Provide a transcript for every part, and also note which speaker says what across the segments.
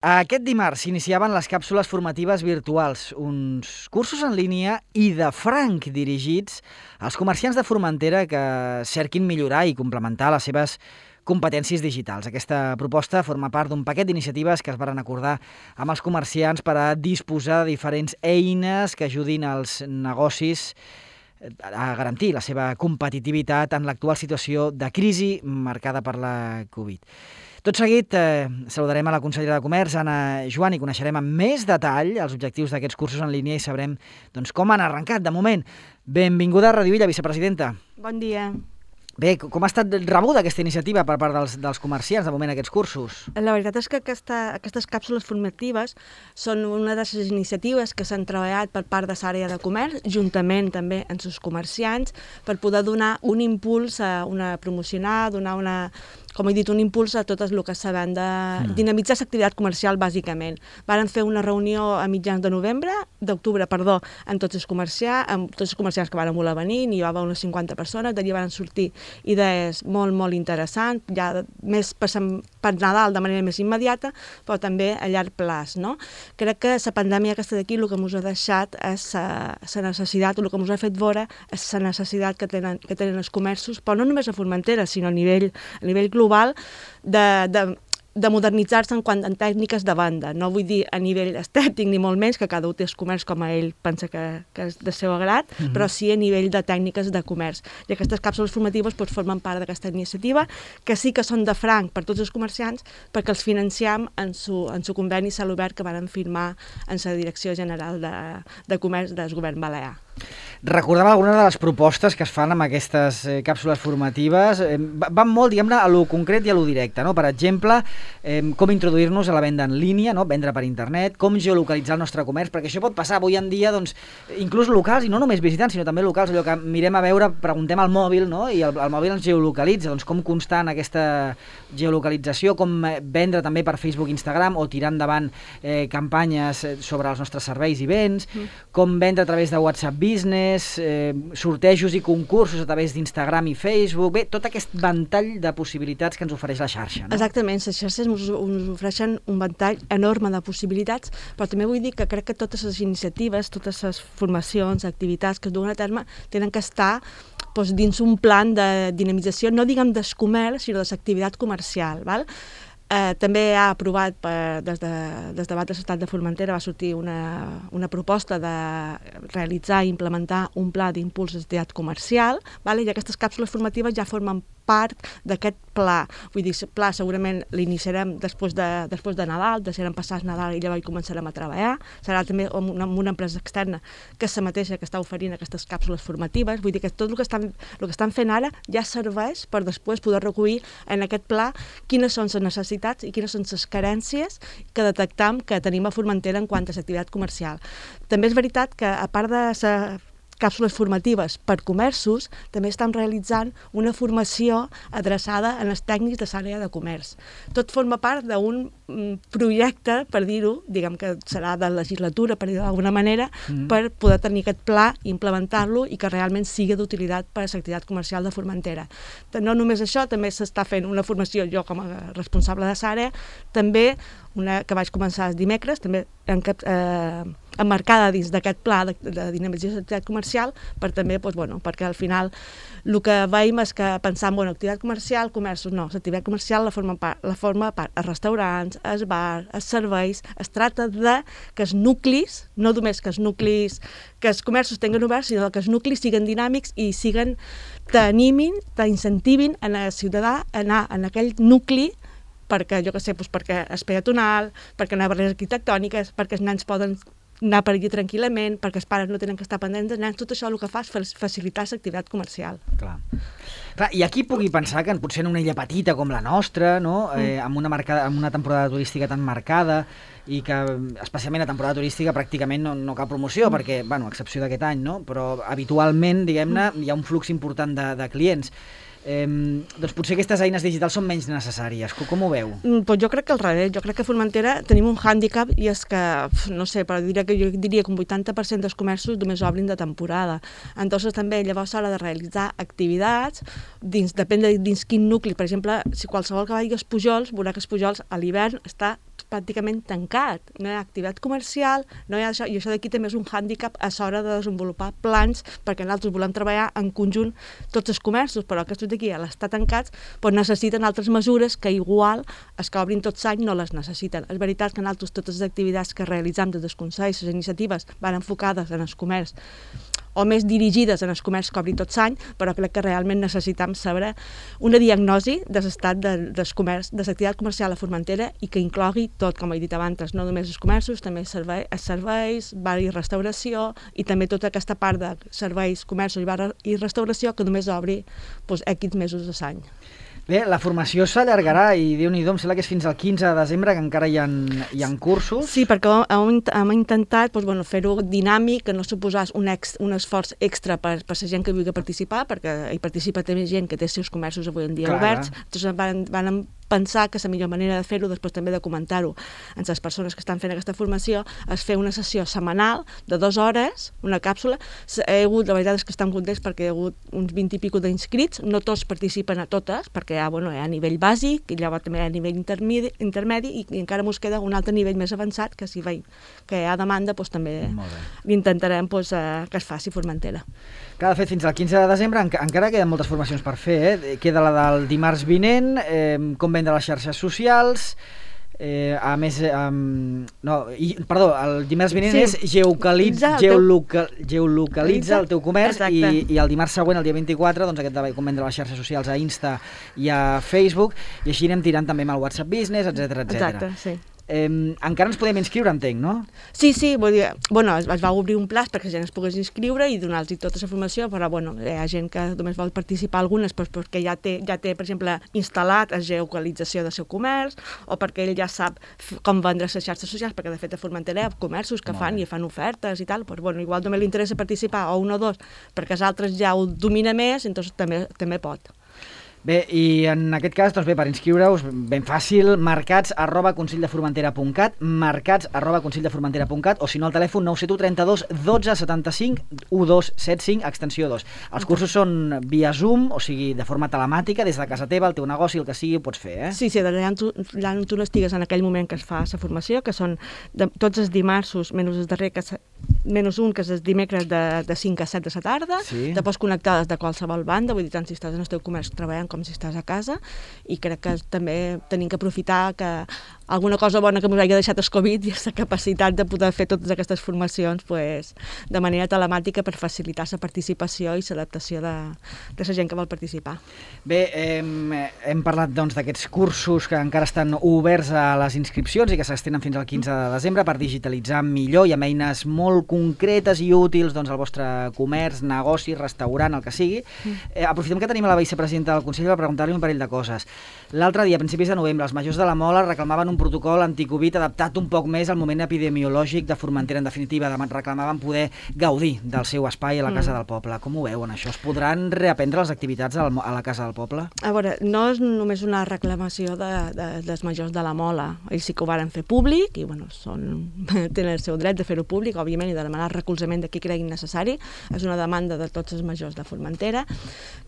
Speaker 1: Aquest dimarts s'iniciaven les càpsules formatives virtuals, uns cursos en línia i de franc dirigits als comerciants de Formentera que cerquin millorar i complementar les seves competències digitals. Aquesta proposta forma part d'un paquet d'iniciatives que es varen acordar amb els comerciants per a disposar de diferents eines que ajudin als negocis a garantir la seva competitivitat en l'actual situació de crisi marcada per la Covid. Tot seguit saludarem a la consellera de Comerç, Anna Joan, i coneixerem amb més detall els objectius d'aquests cursos en línia i sabrem com han arrencat. De moment, benvinguda a Radio Illa, vicepresidenta.
Speaker 2: Bon dia.
Speaker 1: Bé, com ha estat rebuda aquesta iniciativa per part dels comerciants, de moment, aquests cursos?
Speaker 2: La veritat és que aquestes càpsules formatives són una de les iniciatives que s'han treballat per part de l'àrea de comerç, juntament també amb els comerciants, per poder donar un impuls a promocionar, donar com he dit, un impuls a tot el que sabem de dinamitzar l'activitat comercial, bàsicament. Varen fer una reunió a mitjans d'octubre, amb tots els comerciants que van voler venir, n'hi va haver unes 50 persones, d'allí van sortir idees molt, molt interessants, ja més per Nadal de manera més immediata, però també a llarg plaç, no? Crec que la pandèmia aquesta d'aquí el que ens ha deixat és la necessitat, el que ens ha fet veure és la necessitat que tenen els comerços, però no només a Formentera, sinó a nivell global, de modernitzar-se en tècniques de venda. No vull dir a nivell estètic ni molt menys, que cada un té el comerç com a ell pensa que és de seu agrat, però sí a nivell de tècniques de comerç. I aquestes càpsules formatives formen part d'aquesta iniciativa, que sí que són de franc per tots els comerciants, perquè els financiem en su conveni celobert que van firmar en la Direcció General de Comerç del Govern Balear.
Speaker 1: Recordem algunes de les propostes que es fan amb aquestes càpsules formatives. Van molt, diguem-ne, a lo concret i a lo directe, no? Per exemple, com introduir-nos a la venda en línia, no? Vendre per internet, com geolocalitzar el nostre comerç, perquè això pot passar avui en dia, inclús locals, i no només visitants, sinó també locals, allò que mirem a veure, preguntem al mòbil, no? I el mòbil ens geolocalitza, com constar en aquesta geolocalització, com vendre també per Facebook i Instagram, o tirar endavant campanyes sobre els nostres serveis i béns, com vendre a través de WhatsApp Business, sortejos i concursos a través d'Instagram i Facebook, bé, tot aquest ventall de possibilitats que ens ofereix la xarxa, no?
Speaker 2: Exactament, les xarxes ens ofereixen un ventall enorme de possibilitats, però també vull dir que crec que totes les iniciatives, totes les formacions, activitats que es duen a terme tenen que estar dins un plan de dinamització, no diguem del comerç, sinó de l'activitat comercial, val? També ha aprovat des de Debat de l'Estat de Formentera va sortir una proposta de realitzar i implementar un pla d'impuls de l'activitat comercial, i aquestes càpsules formatives ja formen part d'aquest pla. Vull dir, el pla segurament l'iniciarem després de Nadal, deixarem passar el Nadal i llavors començarem a treballar. Serà també amb una empresa externa que és la mateixa que està oferint aquestes càpsules formatives. Vull dir que tot el que estan fent ara ja serveix per després poder recollir en aquest pla quines són les necessitats i quines són les carències que detectam que tenim a Formentera en quant a l'activitat comercial. També és veritat que, a part de càpsules formatives per comerços, també estan realitzant una formació adreçada a les tècnics de l'àrea de comerç. Tot forma part d'un projecte, per dir-ho, diguem que serà de legislatura, per dir-ho d'alguna manera, per poder tenir aquest pla, implementar-lo i que realment sigui d'utilitat per a l'activitat comercial de Formentera. No només això, també s'està fent una formació, jo com a responsable de l'àrea, també una que vaig començar els dimecres, també emmarcada dins d'aquest pla de dinamització de l'activitat comercial, perquè al final el que veiem és que pensant, activitat comercial, comerços, no, l'activitat comercial la forma part els restaurants, els bars, els serveis. Es tracta de que els nuclis, no només que els comerços tinguin oberts, sinó que els nuclis siguin dinàmics i t'animin, t'incentiven a el ciutadà a anar en aquell nucli perquè, perquè és peatonal, perquè hi ha barreres arquitectòniques, perquè els nens poden anar per allí tranquil·lament, perquè els pares no tenen que estar pendents dels nens. Tot això el que fa és facilitar l'activitat comercial.
Speaker 1: Clar, i aquí pugui pensar que potser en una illa petita com la nostra, no? Amb una temporada turística tan marcada i que, especialment a temporada turística, pràcticament no cal promoció, perquè, a excepció d'aquest any, no? Però habitualment, diguem-ne, hi ha un flux important de clients. Doncs potser aquestes eines digitals són menys necessàries. Com ho veu?
Speaker 2: Jo crec que al revés. Jo crec que a Formentera tenim un hàndicap i és que, no sé, però jo diria que un 80% dels comerços només obrin de temporada. Entonces també llavors s'ha de realitzar activitats, depèn de dins quin nucli. Per exemple, si qualsevol que vagi als Pujols, veurà que els Pujols a l'hivern està pràcticament tancat. No hi ha activitat comercial, no hi ha això, i això d'aquí també és un hàndicap a l'hora de desenvolupar plans, perquè nosaltres volem treballar en conjunt tots els comerços, però aquests d'aquí, a l'estar tancats, doncs necessiten altres mesures que igual els que obrin tot l'any no les necessiten. És veritat que nosaltres totes les activitats que realitzem des del Consell, les iniciatives, van enfocades en el comerç o més dirigides en el comerç que obri tot l'any, però crec que realment necessitem saber una diagnosi de l'estat del comerç, de l'activitat comercial a Formentera i que inclogui tot, com he dit abans, no només els comerços, també els serveis, bar i restauració, i també tota aquesta part de serveis, comerços i bar i restauració que només obri X mesos a l'any.
Speaker 1: Bé, la formació s'allargarà i Déu-n'hi-do, em sembla que és fins al 15 de desembre, que encara hi ha cursos.
Speaker 2: Sí, perquè hem intentat fer-ho dinàmic, que no suposés un esforç extra per la gent que vulgui participar, perquè hi participa també gent que té els seus comerços avui en dia oberts. Entonces van pensar que la millor manera de fer-ho, després també de comentar-ho amb les persones que estan fent aquesta formació, és fer una sessió setmanal de 2 hores, una càpsula. La veritat és que estan contents perquè hi ha hagut uns 20 i pico d'inscrits, no tots participen a totes, perquè hi ha a nivell bàsic, i llavors també hi ha a nivell intermedi, i encara ens queda un altre nivell més avançat, que si veiem que hi ha demanda, també intentarem que es faci Formentera.
Speaker 1: De fet, fins al 15 de desembre encara queden moltes formacions per fer. Queda la del dimarts vinent, com vendre les xarxes socials, a més, el dimarts vinent és geolocalitza el teu comerç, i el dimarts següent, el dia 24, doncs aquest de com vendre les xarxes socials a Insta i a Facebook, i així anem tirant també amb el WhatsApp Business, etc.
Speaker 2: Exacte, sí.
Speaker 1: Encara ens podem inscriure, entenc, no?
Speaker 2: Sí, vull dir, es va obrir un plaç perquè la gent es pogués inscriure i donar-los tota la formació, però hi ha gent que només vol participar algunes perquè ja té, per exemple, instal·lat la geolocalització del seu comerç, o perquè ell ja sap com vendre les xarxes socials, perquè de fet a Formentera hi ha comerços que fan ofertes i tal, però igual només li interessa participar o un o dos, perquè els altres ja ho domina més, doncs també pot.
Speaker 1: Bé, i en aquest cas, doncs bé, per inscriure-us, ben fàcil, marcats@conselldefromentera.cat, marcats@conselldefromentera.cat, o si no al telèfon 971 32 12 75 1275, extensió 2. Els cursos són via Zoom, o sigui, de forma telemàtica, des de casa teva, el teu negoci, el que sigui, ho pots fer, eh?
Speaker 2: Sí, allà on tu no estigues en aquell moment que es fa la formació, que són tots els dimarts, menys el darrer, menys un, que és el dimecres de 5 a 7 de la tarda, te pots connectar des de qualsevol banda, vull dir, tant si estàs en el teu comerç treballant com si estàs a casa, i crec que també tenim que aprofitar que alguna cosa bona que ens hagi deixat el Covid i la capacitat de poder fer totes aquestes formacions de manera telemàtica per facilitar la participació i l'adaptació de la gent que vol participar.
Speaker 1: Bé, hem parlat d'aquests cursos que encara estan oberts a les inscripcions i que s'estenen fins al 15 de desembre per digitalitzar millor i amb eines molt concretes i útils al vostre comerç, negoci, restaurant, el que sigui. Aprofitem que tenim a la vicepresidenta del Consell per preguntar-li un parell de coses. L'altre dia, a principis de novembre, els majors de la Mola reclamaven un protocol anticovid adaptat un poc més al moment epidemiològic de Formentera. En definitiva, reclamaven poder gaudir del seu espai a la Casa del Poble. Com ho veuen, això? Es podran reaprendre les activitats a la Casa del Poble?
Speaker 2: A veure, no és només una reclamació dels majors de la Mola. Ells sí que ho varen fer públic i tenen el seu dret de fer-ho públic, òbviament, i de demanar recolzament de qui creguin necessari. És una demanda de tots els majors de Formentera.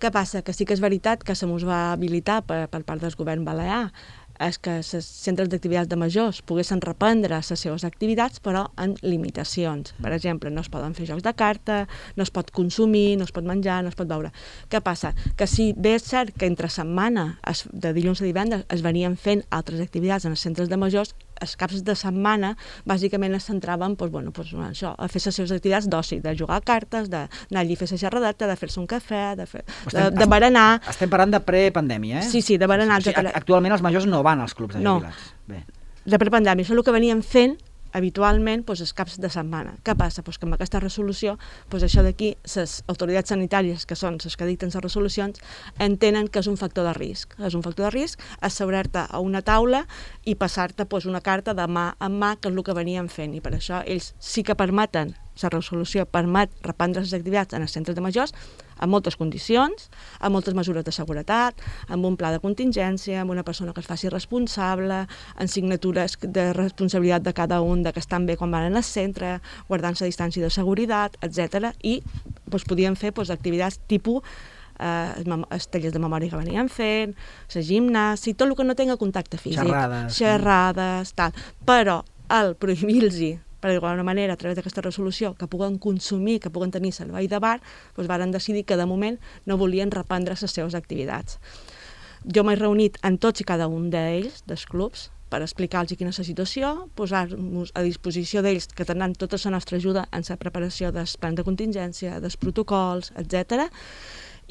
Speaker 2: Què passa? Que sí que és veritat que se mos va habilitar per part del govern balear és que els centres d'activitats de majors poguessin reprendre les seves activitats, però amb limitacions. Per exemple, no es poden fer jocs de carta, no es pot consumir, no es pot menjar, no es pot beure. Què passa? Que si bé és cert que entre setmana, de dilluns a divendres, es venien fent altres activitats en els centres de majors, els caps de setmana bàsicament es centraven això, a fer les seves activitats d'oci, de jugar a cartes, d'anar allí a fer la xerradeta, de fer-se un cafè, de berenar.
Speaker 1: Estem parlant de prepandèmia, eh?
Speaker 2: Sí, de berenar.
Speaker 1: Actualment els majors no van als clubs de jubilats.
Speaker 2: No, de prepandèmia. Això és el que venien fent habitualment els caps de setmana. Què passa? Que amb aquesta resolució, això d'aquí, les autoritats sanitàries, que són les que dicten les resolucions, entenen que és un factor de risc. És un factor de risc asseurar-te a una taula i passar-te una carta de mà en mà, que és el que venien fent. I per això ells sí que permeten, la resolució permet reprendre les activitats en els centres de majors amb moltes condicions, amb moltes mesures de seguretat, amb un pla de contingència, amb una persona que es faci responsable, amb signatures de responsabilitat de cada un, de que estan bé quan van al centre, guardant la distància de seguretat, etc. I podien fer activitats tipus els tallers de memòria que venien fent, la gimnàsia, tot el que no tenga contacte físic. Xerrades, tal. Però el prohibir-los, per d'alguna manera, a través d'aquesta resolució, que puguen consumir, que puguen tenir servei de bar, doncs varen decidir que de moment no volien reprendre les seves activitats. Jo m'he reunit amb tots i cada un d'ells, dels clubs, per explicar-los quina és la situació, posar-nos a disposició d'ells que tenen tota la nostra ajuda en la preparació dels plans de contingència, dels protocols, etc.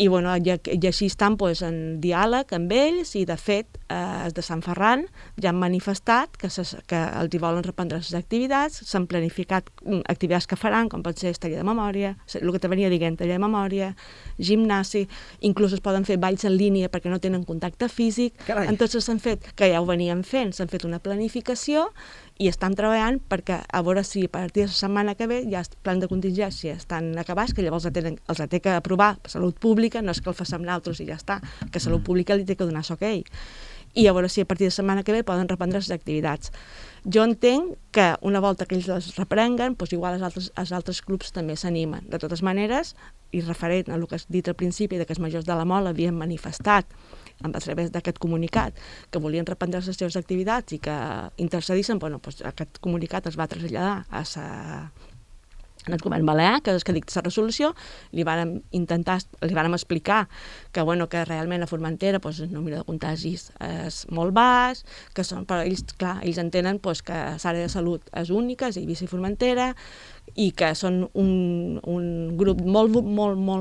Speaker 2: I així estan en diàleg amb ells i, de fet, els de Sant Ferran ja han manifestat que els hi volen reprendre les activitats, s'han planificat activitats que faran, com pot ser taller de memòria, el que te venia dient, taller de memòria, gimnàsia, inclús es poden fer balls en línia perquè no tenen contacte físic. Entonces s'han fet, que ja ho venien fent, s'han fet una planificació i estan treballant perquè a veure si a partir de la setmana que ve ja els plans de contingència estan acabats, que llavors els ha de aprovar per Salut Pública, no és que el facem nosaltres i ja està, que Salut Pública li té que donar l'ok. I a veure si a partir de la setmana que ve poden reprendre les activitats. Jo entenc que una volta que ells les reprenguen, igual els altres clubs també s'animen. De totes maneres, i referent a el que has dit al principi, que els majors de la MOL havien manifestat a través d'aquest comunicat que volien reprendre les seves activitats i que intercedissin, aquest comunicat es va traslladar en el govern balear, que és que dicta la resolució, li vàrem explicar que realment a Formentera el número de contagis és molt baix, però ells entenen que l'àrea de salut és única, és Eivissa i Formentera, i que són un grup molt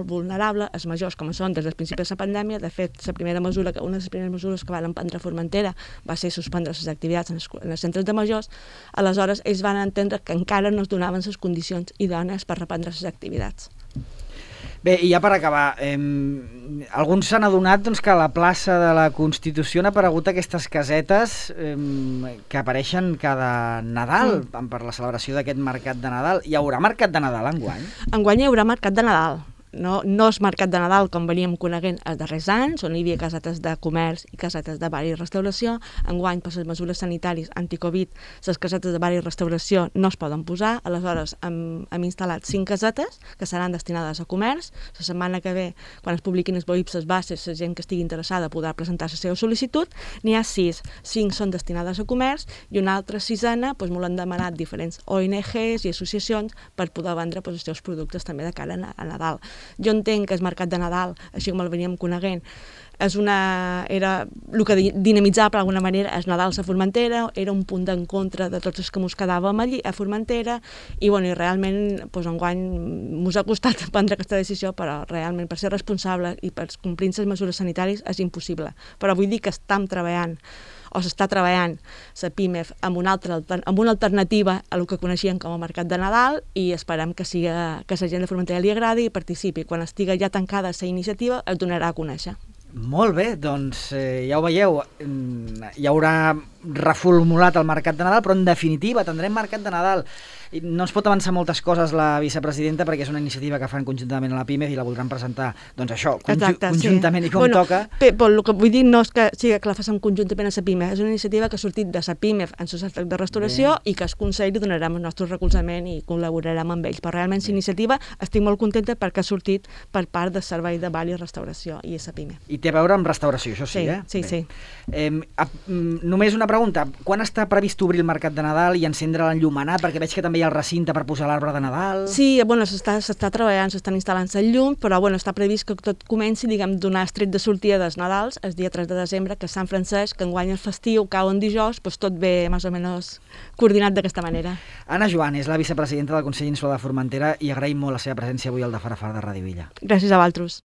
Speaker 2: vulnerable, els majors com són des dels principis de la pandèmia. De fet, una de les primeres mesures que van prendre a Formentera va ser suspendre les activitats en els centres de majors. Aleshores, ells van entendre que encara no es donaven les condicions idònies per reprendre les activitats.
Speaker 1: Bé, i ja per acabar, alguns s'han adonat que a la plaça de la Constitució han aparegut aquestes casetes que apareixen cada Nadal per la celebració d'aquest mercat de Nadal. Hi haurà mercat de Nadal enguany?
Speaker 2: Enguany hi haurà mercat de Nadal. No és mercat de Nadal com veníem coneguent els darrers anys, on hi havia casetes de comerç i casetes de bar i restauració. Enguany, per les mesures sanitàries anti-Covid, les casetes de bar i restauració no es poden posar. Aleshores, hem instal·lat 5 casetes que seran destinades a comerç. La setmana que ve, quan es publiquin els BOIPs, les bases, la gent que estigui interessada podrà presentar la seva sol·licitud. N'hi ha 6. 5 són destinades a comerç i una altra 6ena m'ho han demanat diferents ONGs i associacions per poder vendre els seus productes també de cara a Nadal. Jo entenc que el mercat de Nadal, així com el veníem coneguent, era el que dinamitzava d'alguna manera el Nadal a Formentera, era un punt d'encontre de tots els que ens quedàvem allí a Formentera i realment enguany ens ha costat prendre aquesta decisió, però realment per ser responsable i per complir les mesures sanitàries és impossible. Però vull dir que s'està treballant la PIMEF amb una alternativa a el que coneixien com a mercat de Nadal i esperem que la gent de Formentera li agradi i participi. Quan estigui ja tancada la iniciativa es donarà a conèixer.
Speaker 1: Molt bé, doncs ja ho veieu, hi haurà reformulat el mercat de Nadal, però en definitiva tindrem mercat de Nadal. No ens pot avançar moltes coses la vicepresidenta perquè és una iniciativa que fan conjuntament a la PIMEF i la voldran presentar, conjuntament i com toca.
Speaker 2: El que vull dir no és que sigui que la facin conjuntament a la PIMEF, és una iniciativa que ha sortit de la PIMEF en societat de restauració i que el Consell li donarem el nostre recolzament i col·laborarem amb ells. Però realment la iniciativa estic molt contenta perquè ha sortit per part del Servei de Bar i Restauració i la PIMEF.
Speaker 1: I té a veure amb restauració, això sí, eh?
Speaker 2: Sí.
Speaker 1: Només una pregunta, quan està previst obrir el mercat de Nadal i encendre l'enllumenat? Perquè veig que també hi ha el recinte per posar l'arbre de Nadal.
Speaker 2: Sí, s'està treballant, s'estan instal·lant el llum, però està previst que tot comenci, donar el tret de sortida dels Nadals el dia 3 de desembre, que és Sant Francesc, que enguany el festiu cau en dijous, tot ve més o menys coordinat d'aquesta manera.
Speaker 1: Anna Joan és la vicepresidenta del Consell Insular de Formentera i agraïm molt la seva presència avui al de Farafar de Ràdio Illa.
Speaker 2: Gràcies a vosaltres.